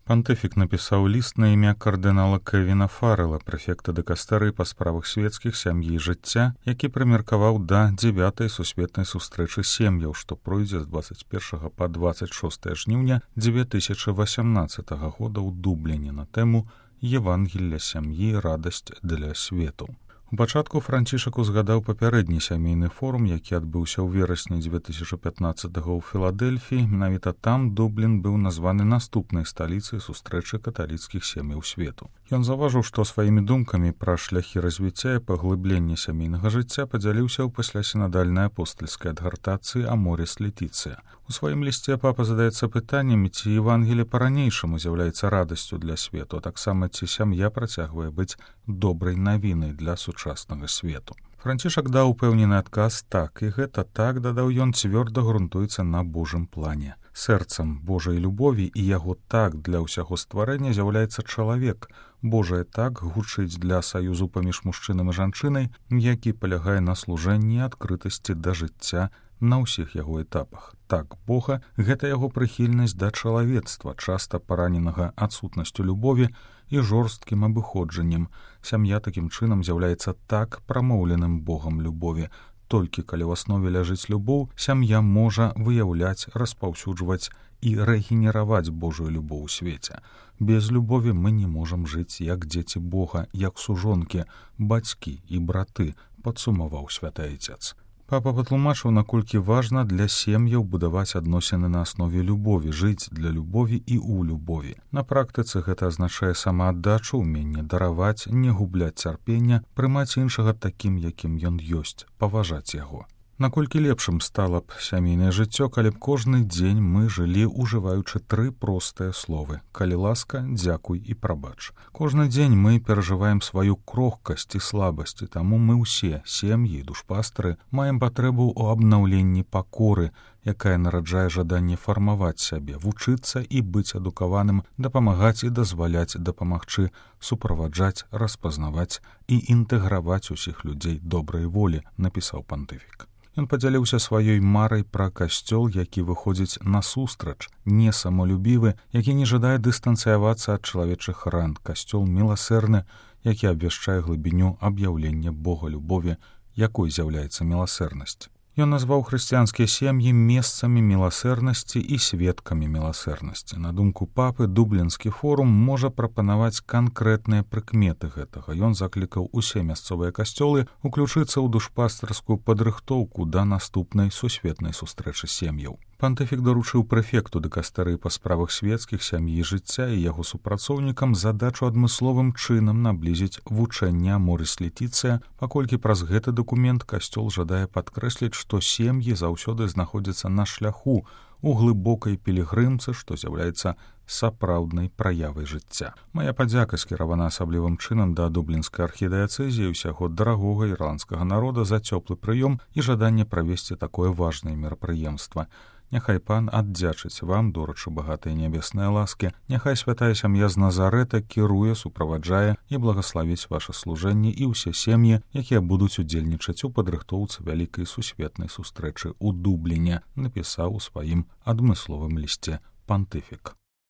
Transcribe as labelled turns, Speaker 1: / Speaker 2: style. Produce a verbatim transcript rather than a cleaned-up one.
Speaker 1: Пантыфік напісаў ліст на імя кардынала Кевіна Фаррела, прэфекта дыкастэрыі па справах свецкіх, сям'і і жыцця, які прымеркаваў да дзявятай сусветнай сустрэчы сем'яў, што пройдзе з дваццаць першага па дваццаць шостае жніўня дзве тысячы васямнаццатага года ў Дубліне на тэму «Евангелля сям'і. Радасць для свету». У пачатку Францішак узгадаў папярэдні сямейны форум, які адбыўся ў верасні дзве тысячы пятнаццатага ў Філадэльфіі. Менавіта там Дублін быў названы наступнай сталіцай сустрэчы каталіцкіх сем'яў свету. Ён заўважыў, што сваімі думкамі пра шляхі развіцця і паглыблення сямейнага жыцця падзяліўся ў паслясінадальнай апостальскай адгартацыі «Аморіс Летіцыя». У сваім лісце папа задаецца пытаннямі, ці Евангелле па-ранейшаму з'яўляецца радасцю для свету, а таксама ці сям'я працягвае быць добрай навінай для сучаснага свету. Францішак даў упэўнены адказ «так», і гэта «так», дадаў ён, цвёрда грунтуецца на Божым плане. Сэрцам Божай любові і яго «так» для ўсяго стварэння з'яўляецца чалавек. Божае «так» гучыць для саюзу паміж мужчынам і жанчынай, які палягае на служэнні і адкрытасці да жыцця на ўсіх яго этапах. Так Бога — гэта яго прыхільнасць да чалавецтва, часта параненага адсутнасцю любові і жорсткім абыходжаннем. Сям'я такім чынам з'яўляецца так прамоўленым Богам любові. Толькі калі ў аснове ляжыць любоў, сям'я можа выяўляць, распаўсюджваць і рэгенераваць Божую любоў у свеце. Без любові мы не можам жыць як дзеці Бога, як сужонкі, бацькі і браты, падсумаваў святы айцец. Папа патлумачыў, наколькі важна для сем'яў будаваць адносіны на аснове любові, жыць для любові і ў любові. На практыцы гэта азначае самааддачу, уменне дараваць, не губляць цярпення, прымаць іншага такім, якім ён ёсць, паважаць яго. Наколькі лепшым стала б сямейнае жыццё, калі б кожны дзень мы жылі, ужываючы тры простыя словы: калі ласка, дзякуй і прабач. Кожны дзень мы перажываем сваю крохкасць і слабасць, і таму мы ўсе, сем'і і душпастары, маем патрэбу ў абнаўленні пакоры, якая нараджае жаданне фармаваць сябе, вучыцца і быць адукаваным, дапамагаць і дазваляць дапамагчы, суправаджаць, распазнаваць і інтэграваць усіх людзей добрай волі, напісаў пантыфік. Ён падзяліўся сваёй марай пра касцёл, які выходзіць насустрач, не самолюбівы, які не жадае дыстанцыявацца ад чалавечых ран, касцёл міласэрны, які абвяшчае глыбіню аб'яўлення Бога любові, якой з'яўляецца міласэрнасць. Ён назваў хрысціянскія сем'і месцамі міласэрнасці і сведкамі міласэрнасці. На думку папы, Дублінскі форум можа прапанаваць канкрэтныя прыкметы гэтага. Ён заклікаў усе мясцовыя касцёлы уключыцца ў душпастарскую падрыхтоўку да наступнай сусветнай сустрэчы сем'яў. Пантыфік даручыў прэфекту дыкастэрыі па справах свецкіх, сям'і і жыцця і яго супрацоўнікам задачу адмысловым чынам наблізіць вучэнне «Аморіс Летіцыя», паколькі праз гэты дакумент касцёл жадае падкрэсліць, што сем'і заўсёды знаходзяцца на шляху у глыбокай пілігрымцы, што з'яўляецца сапраўднай праявай жыцця. Мая падзяка скіравана асаблівым чынам да дублінскай архідыяцэзіі і ўсяго дарагога ірландскага народа за цёплы прыём і жаданне правесці такое важнае мерапрыемства. Няхай пан аддзячыць вам, дорачы багатыя нябесныя ласкі, няхай святая сям'я з Назарэта кіруе, суправаджае і благаславіць ваша служэнне і ўсе сем'і, якія будуць удзельнічаць у падрыхтоўцы вялікай сусветнай сустрэчы ў Дубліне, напісаў у сваім адмысловым лісце пантыфік.